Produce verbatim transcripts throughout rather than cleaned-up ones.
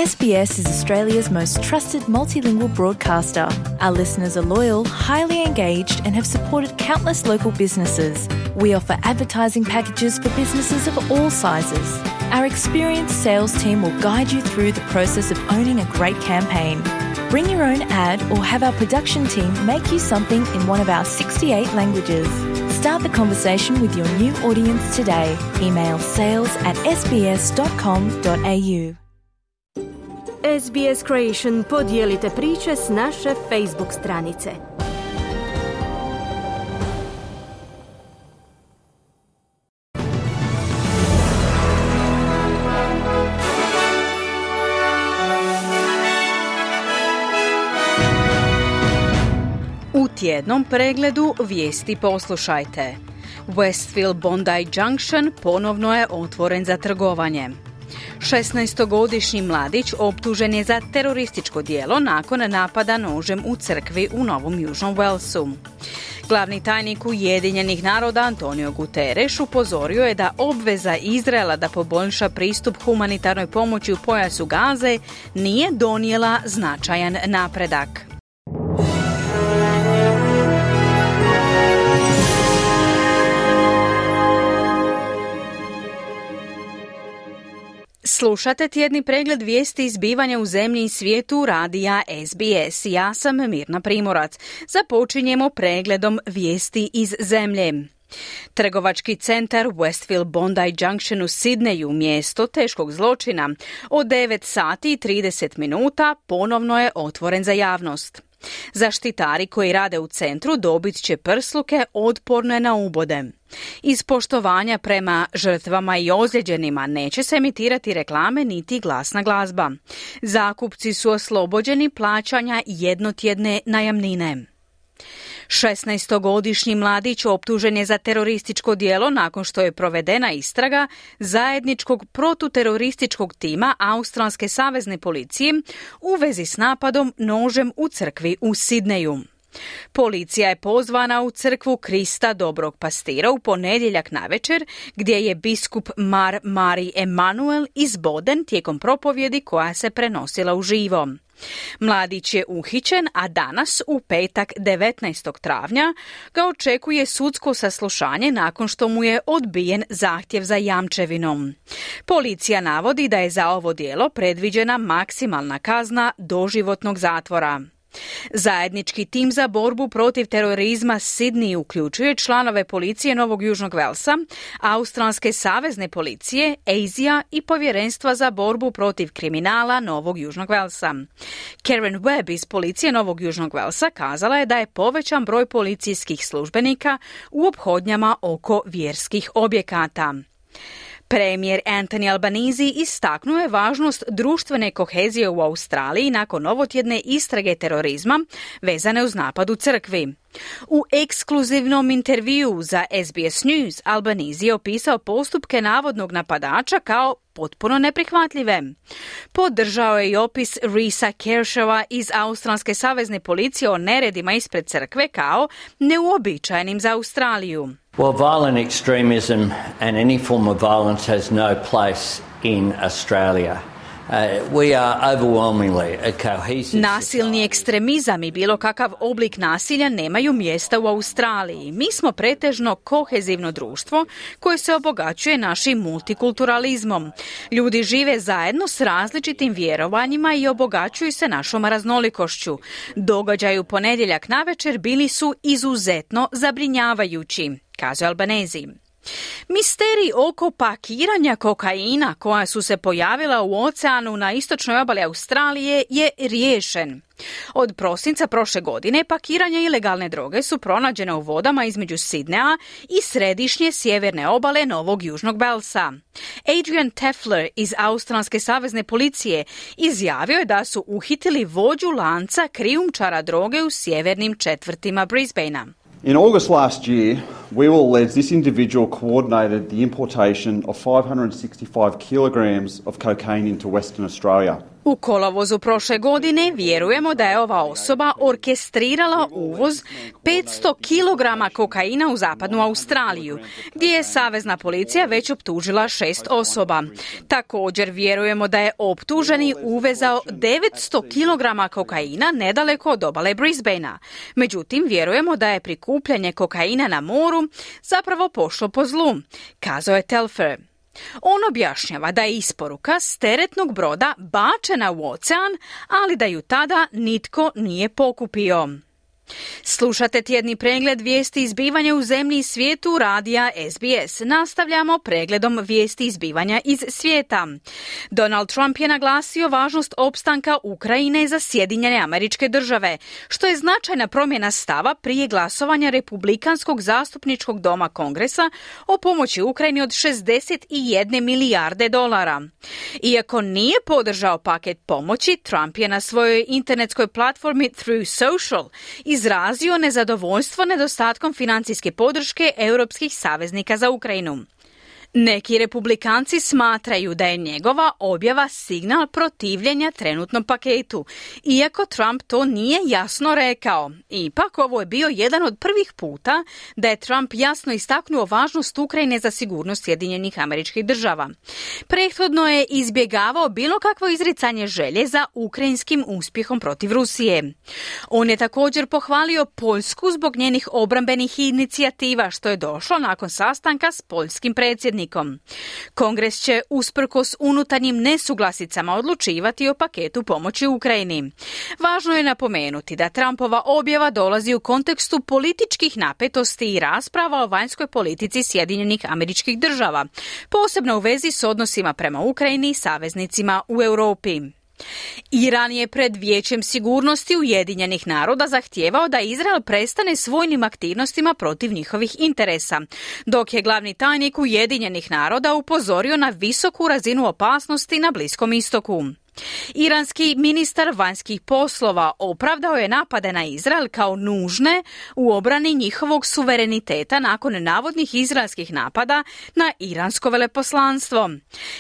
S B S is Australia's most trusted multilingual broadcaster. Our listeners are loyal, highly engaged, and have supported countless local businesses. We offer advertising packages for businesses of all sizes. Our experienced sales team will guide you through the process of owning a great campaign. Bring your own ad or have our production team make you something in one of our sixty-eight languages. Start the conversation with your new audience today. Email sales at s b s dot com dot a u. S B S Creation podijelite priče s naše Facebook stranice. U tjednom pregledu vijesti poslušajte. Westfield Bondi Junction ponovno je otvoren za trgovanje. šesnaestogodišnji mladić optužen je za terorističko djelo nakon napada nožem u crkvi u Novom Južnom Walesu. Glavni tajnik Ujedinjenih naroda Antonio Guterres upozorio je da obveza Izraela da poboljša pristup humanitarnoj pomoći u pojasu Gaze nije donijela značajan napredak. Slušate tjedni pregled vijesti izbivanja u zemlji i svijetu radija S B S. Ja sam Mirna Primorac. Započinjemo pregledom vijesti iz zemlje. Trgovački centar Westfield Bondi Junction u Sidneju, mjesto teškog zločina, od devet sati i trideset minuta ponovno je otvoren za javnost. Zaštitari koji rade u centru dobit će prsluke otporne na ubode. Iz poštovanja prema žrtvama i ozlijeđenima neće se emitirati reklame niti glasna glazba. Zakupci su oslobođeni plaćanja jednotjedne najamnine. šesnaestogodišnji mladić optužen je za terorističko djelo nakon što je provedena istraga zajedničkog protuterorističkog tima Australske savezne policije u vezi s napadom nožem u crkvi u Sidneju. Policija je pozvana u crkvu Krista Dobrog Pastira u ponedjeljak navečer, gdje je biskup Mar Mari Emanuel izboden tijekom propovjedi koja se prenosila uživo. Mladić je uhićen, a danas, u petak devetnaestog travnja, ga očekuje sudsko saslušanje nakon što mu je odbijen zahtjev za jamčevinom. Policija navodi da je za ovo djelo predviđena maksimalna kazna doživotnog zatvora. Zajednički tim za borbu protiv terorizma Sidney uključuje članove policije Novog Južnog Velsa, Australske savezne policije, A S I A i Povjerenstva za borbu protiv kriminala Novog Južnog Velsa. Karen Webb iz policije Novog Južnog Velsa kazala je da je povećan broj policijskih službenika u ophodnjama oko vjerskih objekata. Premijer Anthony Albanese istaknuo je važnost društvene kohezije u Australiji nakon ovotjedne istrage terorizma vezane uz napad u crkvi. U ekskluzivnom intervjuu za S B S News Albanese je opisao postupke navodnog napadača kao potpuno neprihvatljive. Podržao je i opis Risa Kershawa iz Australske savezne policije o neredima ispred crkve kao neuobičajenim za Australiju. Well, violent extremism and any form of violence has no place in Australia. Uh, we are overwhelmingly a cohesive Nasilni ekstremizam i bilo kakav oblik nasilja nemaju mjesta u Australiji. Mi smo pretežno kohezivno društvo koje se obogaćuje našim multikulturalizmom. Ljudi žive zajedno s različitim vjerovanjima i obogaćuju se našom raznolikošću. Događaji u ponedjeljak navečer bili su izuzetno zabrinjavajući, kaže Albanese. Misteri oko pakiranja kokaina koja su se pojavila u oceanu na istočnoj obali Australije je riješen. Od prosinca prošle godine pakiranja ilegalne droge su pronađene u vodama između Sidneja i središnje sjeverne obale Novog Južnog Velsa. Adrian Teffler iz Australske savezne policije izjavio je da su uhitili vođu lanca krijumčara droge u sjevernim četvrtima Brisbanea. In August last year, we will allege this individual coordinated the importation of five hundred sixty-five kilograms of cocaine into Western Australia. U kolovozu prošle godine vjerujemo da je ova osoba orkestrirala uvoz petsto kilograma kokaina u zapadnu Australiju, gdje je savezna policija već optužila šest osoba. Također vjerujemo da je optuženi uvezao devetsto kilograma kokaina nedaleko od obale Brisbanea. Međutim, vjerujemo da je prikupljanje kokaina na moru zapravo pošlo po zlu, kazao je Telfer. On objašnjava da je isporuka s teretnog broda bačena u ocean, ali da ju tada nitko nije pokupio. Slušate tjedni pregled vijesti izbivanja u zemlji i svijetu radija S B S. Nastavljamo pregledom vijesti izbivanja iz svijeta. Donald Trump je naglasio važnost opstanka Ukrajine za Sjedinjene Američke Države, što je značajna promjena stava prije glasovanja Republikanskog zastupničkog doma Kongresa o pomoći Ukrajini od šezdeset jedne milijarde dolara. Iako nije podržao paket pomoći, Trump je na svojoj internetskoj platformi Through Social izrazio nezadovoljstvo nedostatkom financijske podrške europskih saveznika za Ukrajinu. Neki republikanci smatraju da je njegova objava signal protivljenja trenutnom paketu, iako Trump to nije jasno rekao. Ipak ovo je bio jedan od prvih puta da je Trump jasno istaknuo važnost Ukrajine za sigurnost Sjedinjenih Američkih Država. Prethodno je izbjegavao bilo kakvo izricanje želje za ukrajinskim uspjehom protiv Rusije. On je također pohvalio Poljsku zbog njenih obrambenih inicijativa, što je došlo nakon sastanka s poljskim predsjednikom. Kongres će usprkos unutarnjim nesuglasicama odlučivati o paketu pomoći Ukrajini. Važno je napomenuti da Trumpova objava dolazi u kontekstu političkih napetosti i rasprava o vanjskoj politici Sjedinjenih Američkih Država, posebno u vezi s odnosima prema Ukrajini i saveznicima u Europi. Iran je pred Vijećem sigurnosti Ujedinjenih naroda zahtijevao da Izrael prestane s vojnim aktivnostima protiv njihovih interesa, dok je glavni tajnik Ujedinjenih naroda upozorio na visoku razinu opasnosti na Bliskom istoku. Iranski ministar vanjskih poslova opravdao je napade na Izrael kao nužne u obrani njihovog suvereniteta nakon navodnih izraelskih napada na iransko veleposlanstvo.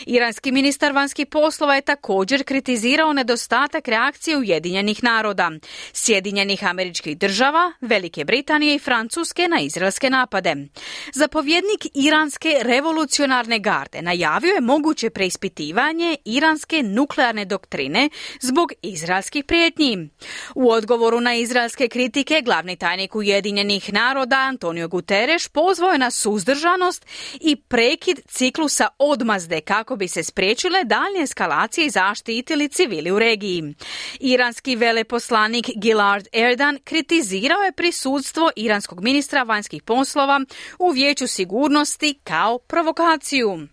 Iranski ministar vanjskih poslova je također kritizirao nedostatak reakcije Ujedinjenih naroda, Sjedinjenih Američkih Država, Velike Britanije i Francuske na izraelske napade. Zapovjednik Iranske revolucionarne garde najavio je moguće preispitivanje iranske nuklearne doktrine zbog izraelskih prijetnji. U odgovoru na izraelske kritike, glavni tajnik Ujedinjenih naroda Antonio Guterres pozvao je na suzdržanost i prekid ciklusa odmazde kako bi se spriječile daljnje eskalacije i zaštitili civili u regiji. Iranski veleposlanik Gilad Erdan kritizirao je prisutstvo iranskog ministra vanjskih poslova u Vijeću sigurnosti kao provokaciju.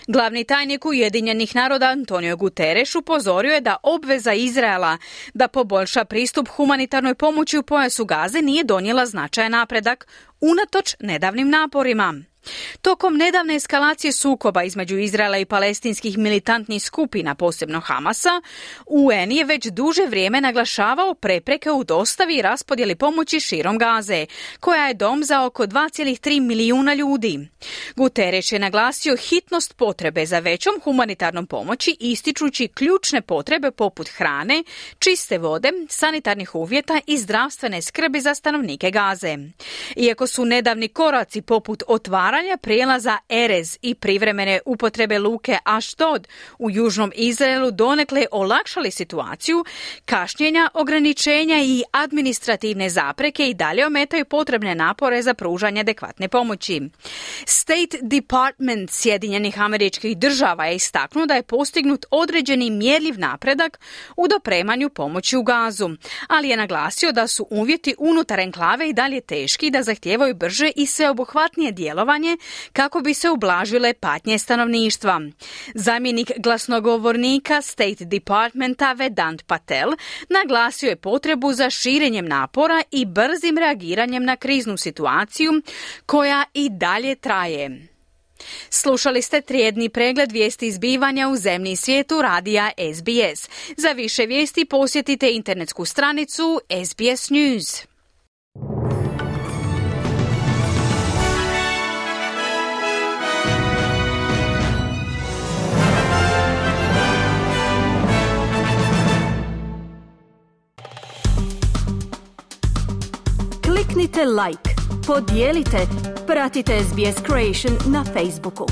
Glavni tajnik Ujedinjenih naroda Antonio Guterres upozorio je da obveza Izraela da poboljša pristup humanitarnoj pomoći u pojasu Gaze nije donijela značajan napredak unatoč nedavnim naporima. Tokom nedavne eskalacije sukoba između Izraela i palestinskih militantnih skupina, posebno Hamasa, U N je već duže vrijeme naglašavao prepreke u dostavi i raspodjeli pomoći širom Gaze, koja je dom za oko dva zarez tri milijuna ljudi. Guterres je naglasio hitnost potrebe za većom humanitarnom pomoći, ističući ključne potrebe poput hrane, čiste vode, sanitarnih uvjeta i zdravstvene skrbi za stanovnike Gaze. Iako su nedavni koraci poput otvaranja prijelaza Erez i privremene upotrebe luke Ashdod u južnom Izraelu donekle olakšali situaciju, kašnjenja, ograničenja i administrativne zapreke i dalje ometaju potrebne napore za pružanje adekvatne pomoći. State Department Sjedinjenih Američkih Država je istaknuo da je postignut određeni mjerljiv napredak u dopremanju pomoći u Gazu, ali je naglasio da su uvjeti unutar enklave i dalje teški i da zahtijevaju brže i sveobuhvatnije djelovanje kako bi se ublažile patnje stanovništva. Zamjenik glasnogovornika State Departmenta Vedant Patel naglasio je potrebu za širenjem napora i brzim reagiranjem na kriznu situaciju koja i dalje traje. Slušali ste tjedni pregled vijesti izbivanja u zemlji i svijetu radija S B S. Za više vijesti posjetite internetsku stranicu S B S News. kliknite like, podijelite, pratite S B S Creation na Facebooku.